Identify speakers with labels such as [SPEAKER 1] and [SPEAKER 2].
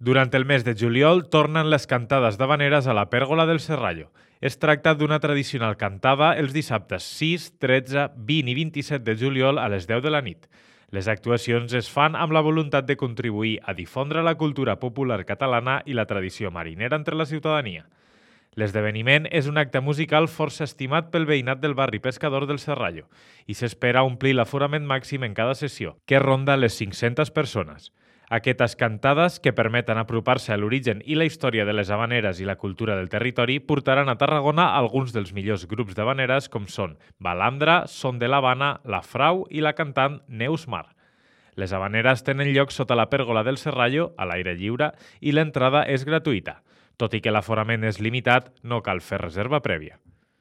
[SPEAKER 1] Durant el mes de juliol tornen les cantades d'havaneres a la Pèrgola del Serrallo. Es tracta d'una tradicional cantada els dissabtes 6, 13, 20 i 27 de juliol a les 10 de la nit. Les actuacions es fan amb la voluntat de contribuir a difondre la cultura popular catalana i la tradició marinera entre la ciutadania. L'esdeveniment és un acte musical força estimat pel veïnat del barri pescador del Serrallo i s'espera omplir l'aforament màxim en cada sessió, que ronda les 500 persones. Aquestes cantades, que permeten apropar-se a l'origen i la història de les havaneres i la cultura del territori, portaran a Tarragona alguns dels millors grups d'havaneres com són Balandra, Son de l'Havana, La Frau i la cantant Neus Mar. Les havaneres tenen lloc sota la pèrgola del Serrallo, a l'aire lliure, i l'entrada és gratuïta. Tot i que l'aforament és limitat, no cal fer reserva prèvia.